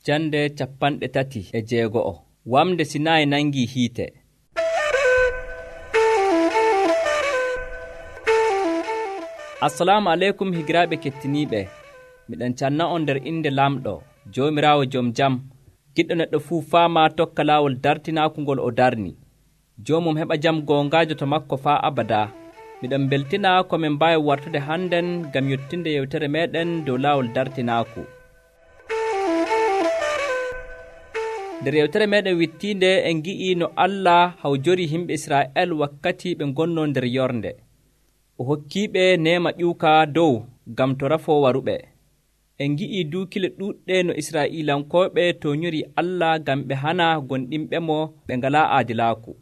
Jande 36 Wamde Sinayi nangi hiite. Assalamu aleykum higiraaɓe kettiniiɓe. Miɗen canna on nder inde Lamɗo, Joomiraawo jom jam, giɗɗo neɗɗo fuu faama tokka laawol dartinaaku ngol o darni. Joomum heɓa jam goongaajo to makko faa abadaa. Miɗen beltina ko min mbaawi wartude hannden ngam yottinde yewtere meeɗen dow laawol dartinaaku. Nder yewtere meeɗen wittiinde en ngi'ii no Allah hawjori yimɓe Israa'el wakkati ɓe ngonnoo nder yorde. O hokkiiɓe neema ƴuuka dow ngam to rafoo waruɓe. En ngi'ii duukile ɗuuɗɗe no Israa'iilankooɓe tooñorii Allah ngam ɓe hana gonɗinɓe mo ɓe ngalaa aadilaaku.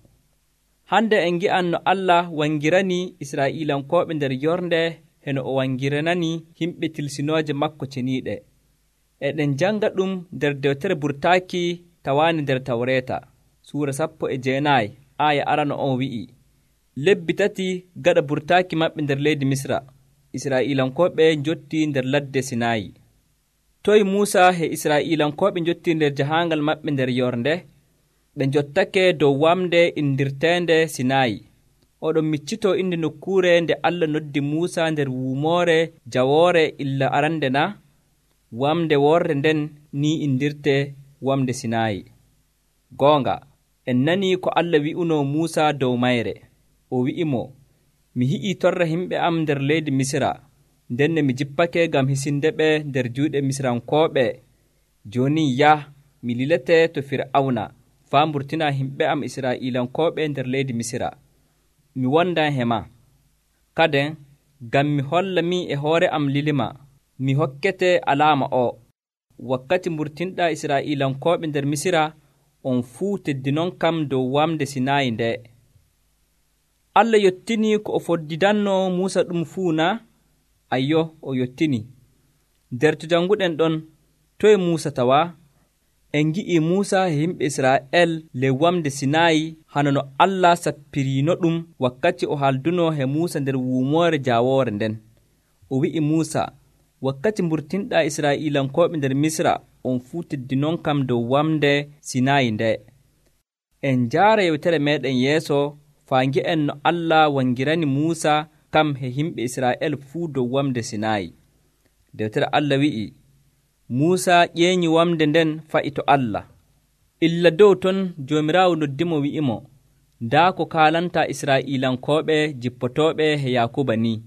Hande en ngi'an no Allah wangiranii Israa'iilankooɓe nder yorde heno o wangiranani yimɓe tilsinooje makko ceniiɗe. Eɗen janga ɗum nder dewtere Burtaaki tawaani nder Tawreeta, Suura 19 aaya arano on wi'i: lebbi 3 gaɗa burtaaki maɓɓe nder leydi Misra, Israa'iilankooɓe njottii nder ladde Sinayi. Toyi Muusa e Israa'iilankooɓe njottii nder jahaangal maɓɓe nder yorde, ɓe njottake dow wamde indirteende Sinayi. Oɗon miccitoo inde nokkuure nde Allah noddi Muusa nder wuumoore jawoore illa arande na? Wamde worde nden ni indirte wamde Sinayi. Goonga, en nanii ko Allah wi'unoo Muusa dow mayre. O wi'imo, mi hi'ii torra yimɓe am nder leydi Misra, ndenne mi jippake ngam hisinde ɓe nder juuɗe Misrankooɓe. Jooni yah, mi lilete to Fir'awna, faa mburtina yimɓe am Israa'iilankooɓe nder leydi Misra. Mi wondan he ma. Kaden, ngam mi holla min e hoore am lilima, mi hokkete alaama o. Wakkati mburtinɗaa Israa'iilankooɓe nder Misra, on fuu teddinon kam dow wamde Sinayi nde. Allah yottinii ko o foddidanno Muusa ɗum fuu na? Ayyo, o yottinii. Nder to janguɗen ɗon, toye Muusa tawaa? En ngi'ii Muusa e yimɓe Israa'el ley wamde Sinayi hano no Allah sappiriino ɗum wakkati o haaldunoo he Muusa nder wuumoore jaawoore nden. O wi'i Muusa, wakkati mburtinɗaa Israa'iilankooɓe nder Misra, on fuu teddinon kam dow wamde Sinayi nde. En njaara yewtere meeɗen yeeso faa ngi'en no Allah wangirani Muusa kam he yimɓe Israa'el fuu dow wamde Sinayi. Dewtere Allah wi'i, Muusa ƴeeñi wamde nden fa'i to Allah. Illa dow ton Joomiraawo noddimo wi'imo, ndaa ko kaalantaa Israa'iilankooɓe jippotooɓe he Yaakuba ni.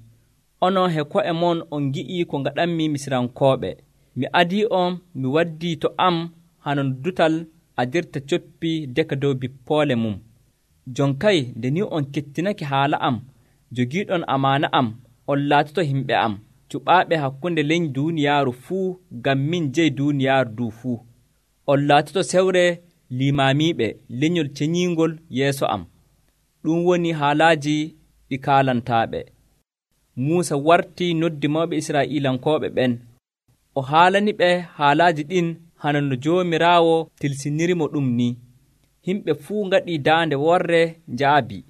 Onon he ko'e mon on ngi'ii ko ngaɗanmi Misrankooɓe. Mi adii on, mi waddii to am hano no dutal adirta coppi deka dow bippoole mum. Jon kay nde ni on kettinake haala am, jogiiɗon amaana am, on laatoto yimɓe am, cuɓaaɓe hakkunde leñi duuniyaaru fuu ngam min jeyi duuniyaaru du fuu. On laatoto sewre limaamiiɓe leñol ceñiingol yeeso am. Ɗum woni haalaaji ɗi kaalantaaɓe. Muusa wartii noddi mawɓe Israa'iilankooɓe ɓen. O haalani ɓe haalaaji ɗin hano no Joomiraawo tilsinirimo ɗum ni. Yimɓe fuu ngaɗii daande worre njaabi.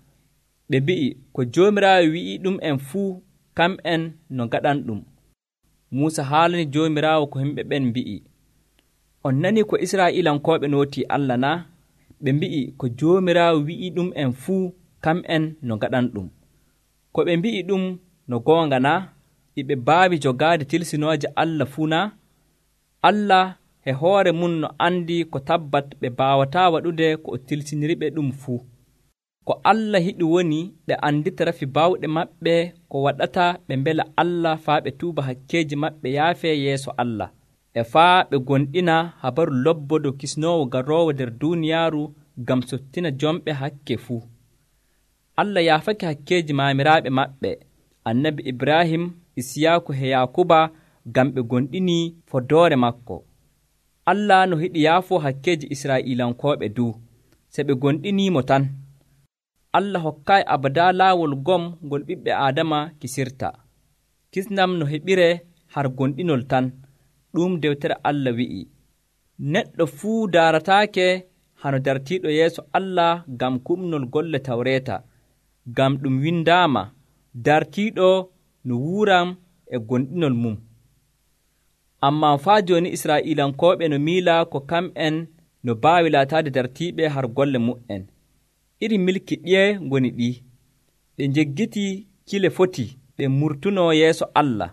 Ɓe mbi'i, ko Joomiraawo wi'i ɗum en fuu, kam'en no ngaɗan ɗum. Muusa haalani Joomiraawo ko yimɓe ɓen mbi'i. On nanii ko Israa'iilankooɓe nootii Allah na? Ɓe mbi'i, ko Joomiraawo wi'i ɗum en fuu, kam'en no ngaɗan ɗum. Ko ɓe mbi'i ɗum no goonga na? Iɓe mbaawi jogaade tilsinooje Allah fuu na? Allah e hoore mum no andi ko tabbat ɓe mbaawataa waɗude ko o tilsiniriɓe ɗum fuu. Ko Allah yiɗi woni ɓe andita rafi baawɗe maɓɓe ko waɗata ɓe mbela Allah faa ɓe tuuba hakkeeji maɓɓe yaafee yeeso Allah, e faa ɓe gonɗina habaru lobbodo kisnoowo garoowo nder duuniyaaru ngam sottina jomɓe hakke fuu. Allah yaafake hakkeeji maamiraaɓe maɓɓe, annabi Ibrahim, Isiyaaku e Yaakuba, ngam ɓe gonɗinii foddoore makko. Allah no hiɗi yaafoo hakkeeji Israa'iilankooɓe du, se ɓe gonɗiniimo tan. Allah hokkaayi abadaa laawol gom ngol ɓiɓɓe Aadama kisirta. Kisnam no heɓire har gonɗinol tan. Ɗum dewtere Allah wi'i. Neɗɗo fuu daarataake hano dartiiɗo yeeso Allah ngam kuɓnol golle Tawreeta, ngam ɗum windaama, dartiiɗo no wuuram e gonɗinol mum. Ammaa faa jooni Israa'iilankooɓe no miila ko kam'en no baawi laataade dartiiɓe har golle mu'en. Iri milki ɗiye ngoni ɗi? Ɓe njeggitii kile foti ɓe murtunoo yeeso Allah.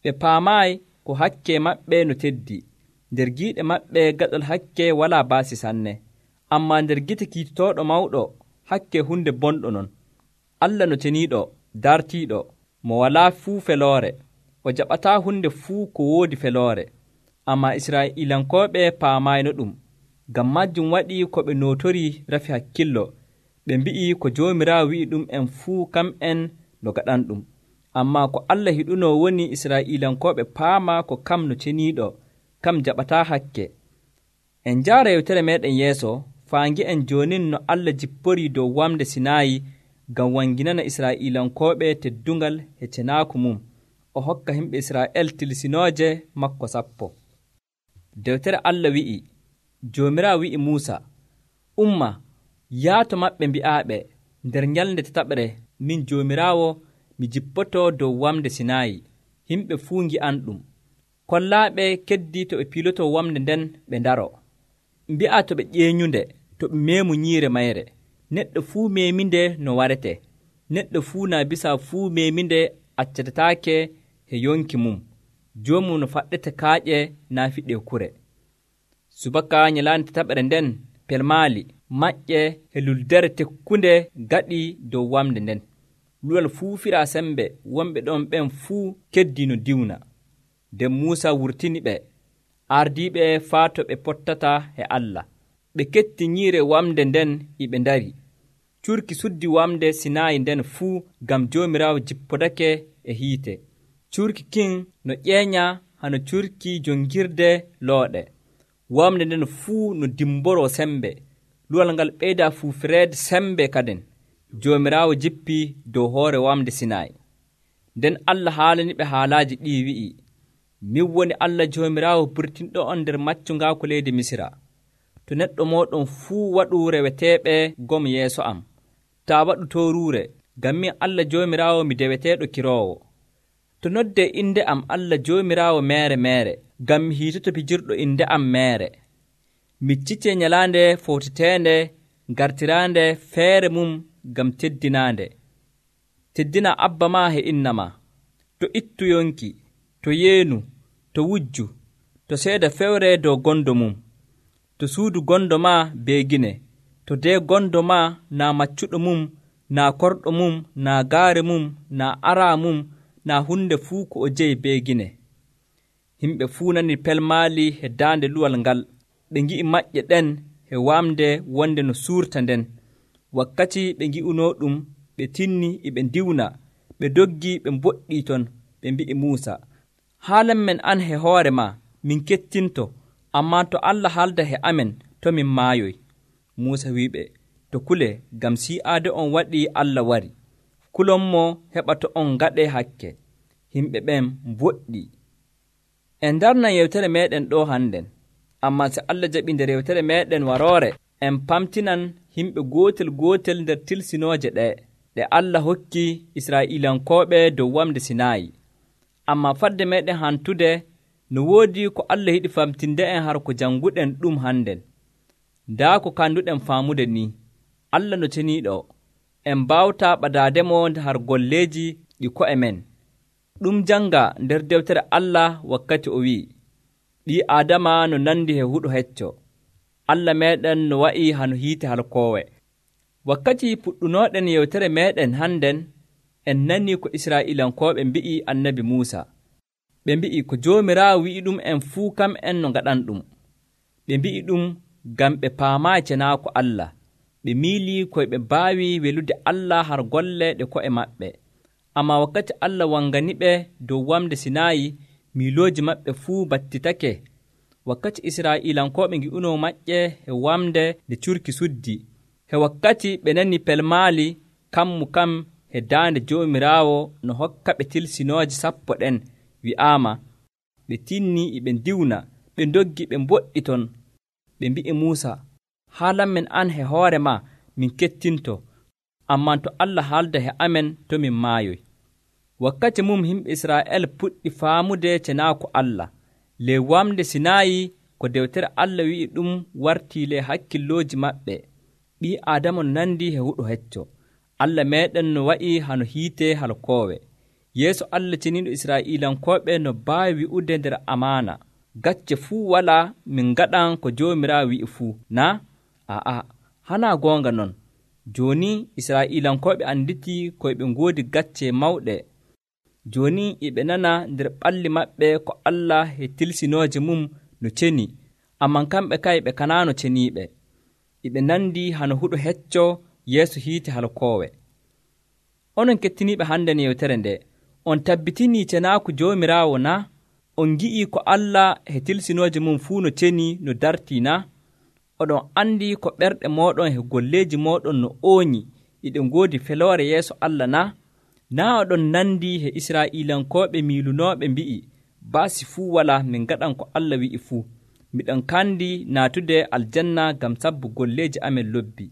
Ɓe paamaayi ko hakke maɓɓe no teddi. Nder giiɗe maɓɓe gaɗol hakke walaa baasi sanne. Ammaa nder gite kiitotooɗo mawɗo, hakke hunde bonɗo non. Allah no ceniiɗo, dartiiɗo, mo walaa fuu feloore. O jaɓataa hunde fuu ko woodi feloore. Ammaa Israa'iilankooɓe paamayno ɗum. Ngam majjum waɗii ko ɓe nootorii rafi hakkillo. Ɓe mbi'i ko Joomiraawo wi'i ɗum en fuu kam'en no gaɗanɗum. Ammaa ko Allah hiɗunoo woni Israa'iilankooɓe paama ko kam no ceniiɗo, kam jaɓataa hakke. En njaara yewtere meeɗen yeeso, faa ngi'en joonin no Allah jipporii dow wamde Sinaayi ngam wanginana Israa'iilankooɓe teddungal e cenaaku mum, o hokka himɓe Israa'el tilsinooje makko 10. Dewtere Allah wi'i, Joomiraawo wi'i Muusa, umma, yaato maɓɓe mbi'aaɓe, nder nyalnde tataɓre, min Joomiraawo mi jippotoo dow wamde Sinaayi, yimɓe fuu ngi'anɗum. Kollaaɓe keddii to ɓe piilotoo wamde nden ɓe ndaro. Mbi'a to ɓe ƴeeñunde, to ɓe meemu nyiire mayre. Neɗɗo fuu meeminde no warete. Neɗɗo fuu naa bisa fuu meeminde accatataake e yonki mum. Joomum no faɗɗete kaaƴe naa fiɗe kure. Subaka nyalaande tataɓere nden pelmaali maƴƴe e luldere tekkunde gaɗi dow wamde nden. Luwal fuu firaa sembe, wonɓe ɗon ɓen fuu keddii no diwna. Nden Muusa wurtini ɓe, ardiiɓe faa to ɓe pottata e Allah. Ɓe ketti nyiire wamde nden e ɓe ndari. Curki suddi wamde Sinaayi nden fuu ngam Joomiraawo jippodake e hiite. Curki kin no ƴeeña hano curki jongirde looɗe. Wamde nden fuu no dimboroo sembe. Luwal ngal ɓeydaa fuufireede sembe kaden. Joomiraawo jippii dow hoore wamde Sinaayi. Nden Allah haalani ɓe haalaaji ɗii wi'i, min woni Allah Joomiraawo burtinɗo on nder maccungaaku leydi Misira. To neɗɗo mooɗon fuu waɗu reweteeɓe gom yeeso am, taa waɗu tooruure, ngam min Allah Joomiraawo mi deweteeɗo kiroowo. To noddee innde am Allah Joomiraawo meere meere, ngam mi hiitoto pijirɗo innde am meere. Miccitee nyalaande fowteteende gartiraande feere mum ngam teddinaande. Teddina abba maa e inna maa, to ittu yonki, to yeenu, to wujju, to seeda fewre dow gondo mum, to suudu gondo maa beegine, to dee gondo maa naa maccuɗo mum, naa korɗo mum, naa gaare mum, naa araa mum, naa hunde fuu ko o jeyi beegine. Himɓe fuu nani pelmaali e daande luwal ngal, ɓe ngi'i maƴƴe ɗen e wamde wonde no suurta nden. Wakkati ɓe ngi'unoo ɗum, ɓe tinni e ɓe ndiwna, ɓe doggii ɓe mboɗɗii ton, ɓe mbi'i Muusa, haalan men an he hoore maa, min kettinto, ammaa to Allah haalda he amen, to min maayoy. Muusa wi'iɓe, to kule, ngam si'aade on waɗii Allah wari. Kulonmo heɓa to on ngaɗee hakke. Himɓe ɓen mboɗɗii. En darnan yewtere meeɗen ɗo hannden, ammaa so Allah jaɓi nder yewtere meeɗen waroore, en pamtinan yimɓe gootel nder tilsinooje ɗe Allah hokki Israa'iilankooɓe dow wamde Sinaayi. Ammaa fadde meeɗen hantude no woodi ko Allah yiɗi famtinde en har ko jannguɗen ɗum hannden. Ndaa ko kanduɗen faamude ni, Allah no ceniiɗo, en mbawtaa ɓadaademo har golleeji ɗi ko'e men. Ɗum jannga nder dewtere Allah wakkati o wi'i, ɓii Aadama no nandi e huɗo hecco. Allah meeɗen no wa'i hano hiite halkoowe. Wakkati puɗɗunooɗen yewtere meeɗen hannden, en nanii ko Israa'iilankooɓe mbi'i annabi Muusa. Ɓe mbi'i ko Joomiraawo wi'i ɗum en fuu kam'en no ngaɗan ɗum. Ɓe mbi'i ɗum ngam ɓe paamaayi cenaako Allah. Ɓe miilii koye ɓe mbaawi welude Allah har golle ɗe ko'e maɓɓe. Ammaa wakkati Allah wanganiɓe dow wamde Sinaayi, miilooji maɓɓe fuu battitake. Wakkati Israa'iilankooɓe ngi'unoo maƴƴe e wamde nde curki suddi, he wakkati ɓe nani pelmaali kammu kam e daande Joomiraawo no hokka ɓe tilsinooje 10 ɗen wi'aama, ɓe tinnii e ɓe ndiwna, ɓe ndoggi ɓe mboɗɗi ton. Ɓe mbi'i Muusa, haalan men an he hoore maa min kettinto, ammaa to Allah haalda he amen to min maayoy. Wakkati mum yimɓe Israa'el puɗɗi faamude cenaako Allah. ley wamde Sinayi ko dewtere Allah wi'i ɗum wartii ley hakkillooji maɓɓe. Ɓii Aadama nandi he huɗo hecco. Allah meeɗen no wa'i hano hiite halkoowe. Yeeso Allah ceniiɗo Israa'iilankooɓe no baawi wi'ude nder amaana, gacce fuu walaa min ngaɗan ko Joomiraawo wi'i fuu, naa? Aa, hanaa goonga non. Jooni Israa'iilankooɓe anditii ko ɓe ngoodi gacce mawɗe. Jooni e ɓe nana nder ɓalli maɓɓe ko Allah e tilsinooje mum no ceni, amman kamɓe kay ɓe kanaano ceniiɓe. E ɓe nandi hano huɗo hecco yeeso hiite halkoowe. Onon kettiniiɓe hannde no yewtere nde, on tabbitinii cenaaku Joomiraawo naa? On ngi'ii ko Allah e tilsinooje mum fuu no ceni no dartii naa? Oɗon anndi ko ɓerɗe mooɗon e golleeji mooɗon no ooñi eɗe ngoodi feloore yeeso Allah naa? Naa oɗon nandi e Israa'iilankooɓe miilunooɓe mbi'i, baasi fuu walaa min ngaɗan ko Allah wi'i fuu. Miɗon kandi naatude aljanna ngam sabbu golleeji amen lobbi.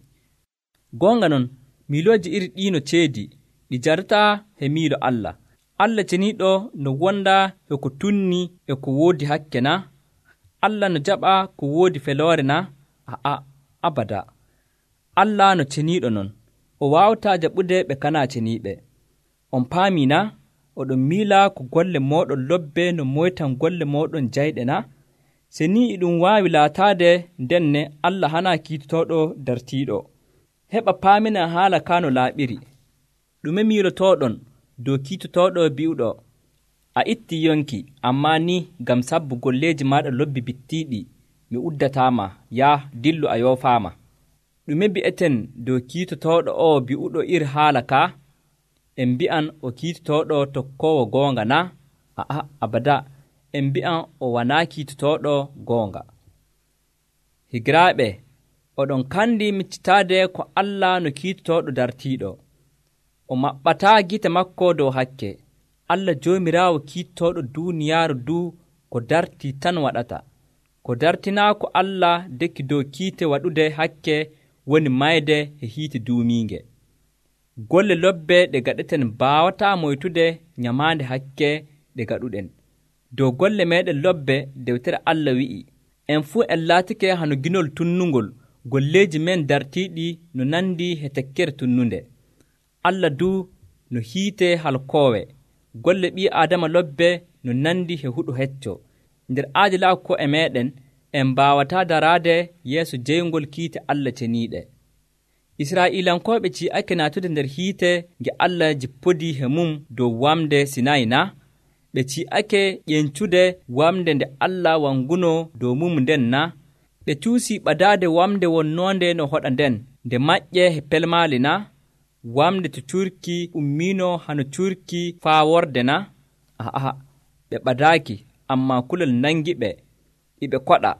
Goonga non, miilooji iri ɗii no ceedi, ɗi jarataa he miilo Allah. Allah ceniiɗo no wonda e ko tunni e ko woodi hakke naa? Allah no jaɓa ko woodi feloore naa? A'a, abada. Allah no ceniiɗo non, o waawataa jaɓude ɓe kanaa ceniiɓe. On paamii naa? Oɗon miila ko golle mooɗon lobbe no moytan golle mooɗon jayɗe naa? Se ni e ɗum waawi laataade ndenne Allah hanaa kiitotooɗo dartiiɗo. Heɓa paamina haala kaa no laaɓiri. Ɗume miilotooɗon dow kiitotooɗo bi'uɗo, a ittii yonki, ammaa ni ngam sabbu golleeji maaɗa lobbi bittiiɗi, mi uddataama, yaa dillu a yoofaama. Ɗume mbi'eten dow kiitotooɗo o bi'uɗo iri haala kaa? En mbi'an o kiitotooɗo tokkoowo goonga naa? A'a, abada, en mbi'an o wanaa kiitotooɗo goonga. Higiraaɓe, oɗon kandi miccitaade ko Allah no kiitotooɗo dartiiɗo. O maɓɓataa gite makko dow hakke. Allah Joomiraawo kiitotooɗo duuniyaaru duu ko dartii tan waɗata. Ko dartinaako Allah dekki dow kiite waɗude hakke woni mayde e hiite duumiinge. Golle lobbe ɗe gaɗeten mbaawataa moytude nyamaande hakke ɗe gaɗuɗen. Dow golle meeɗen lobbe dewtere Allah wi'i, en fuu en laatike hano ginol tunnungol, golleeji men dartiiɗi no nandi e tekkere tunnunde. Allah duu no hiite halkoowe, golle ɓii Aadama lobbe no nandi e huɗo hecco. Nder aadilaaku ko e meeɗen, en mbaawataa daraade yeeso jeyngol kiite Allah ceniiɗe. Israa'iilankooɓe ci'ake naatude nder hiite nge Allah jippodii he mum dow wamde Sinayi naa? Ɓe ci'ake ƴencude wamde nde Allah wangunoo dow mum nden naa? Ɓe cuusii ɓadaade wamde wonnoonde no hoɗa nden nde maƴƴe he pelmaali naa? Wamde to curki ummiino hano curki faa worde naa? A'a, ɓe ɓadaaki, ammaa kulol nangi ɓe, iɓe koɗa.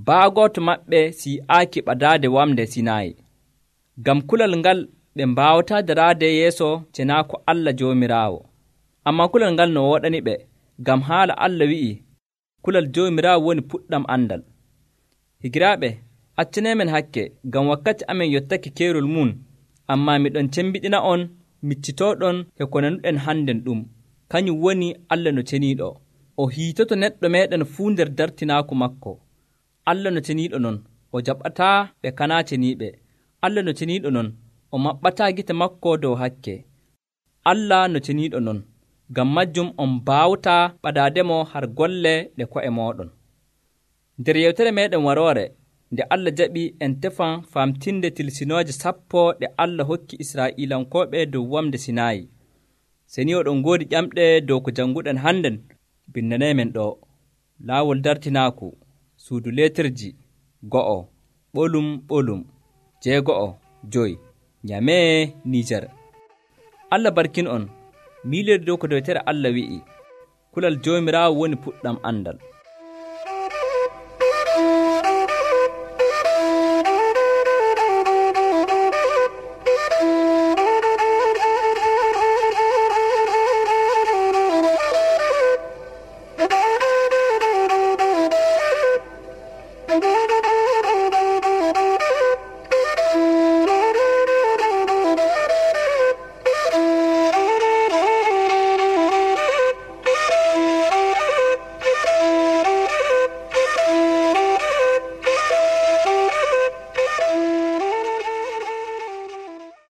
Baagooto maɓɓe si'aaki ɓadaade wamde Sinayi. Ngam kulal ngal ɓe mbaawataa daraade yeeso cenaaku Allah Joomiraawo. Ammaa kulal ngal no wooɗani ɓe, ngam haala Allah wi'i, kulal Joomiraawo woni puɗɗam andal. Higiraaɓe, accaneemen hakke, ngam wakkati amen yottake keerol mum, ammaa miɗon cembiɗina on miccitooɗon e ko nanuɗen hannden ɗum. Kañum woni Allah no ceniiɗo. O hiitoto neɗɗo meeɗen fuu nder dartinaaku makko. Allah no ceniiɗo non, o jaɓataa ɓe kanaa ceniiɓe. Allah no ceniiɗo non, o maɓɓataa gite makko dow hakke. Allah no ceniiɗo non, ngam majjum on mbaawtaa ɓadaademo har golle ɗe ko'e mooɗon. Nder yewtere meeɗen waroore, nde Allah jaɓi en tefan famtinde tilsinooje 10 ɗe Allah hokki Israa'iilankooɓe dow wamde Sinayi. Se ni oɗon ngoodi ƴamɗe dow ko jannguɗen hannden, bindaneemen ɗo. Laawol dartinaaku, suudu leetirji, 1, ɓolum ɓolum, 6, Nyamee, Niijar. Allah barkin on, miilirde dow ko dewtere Allah wi'i, kulal Joomiraawo woni puɗɗam andal. Thank you.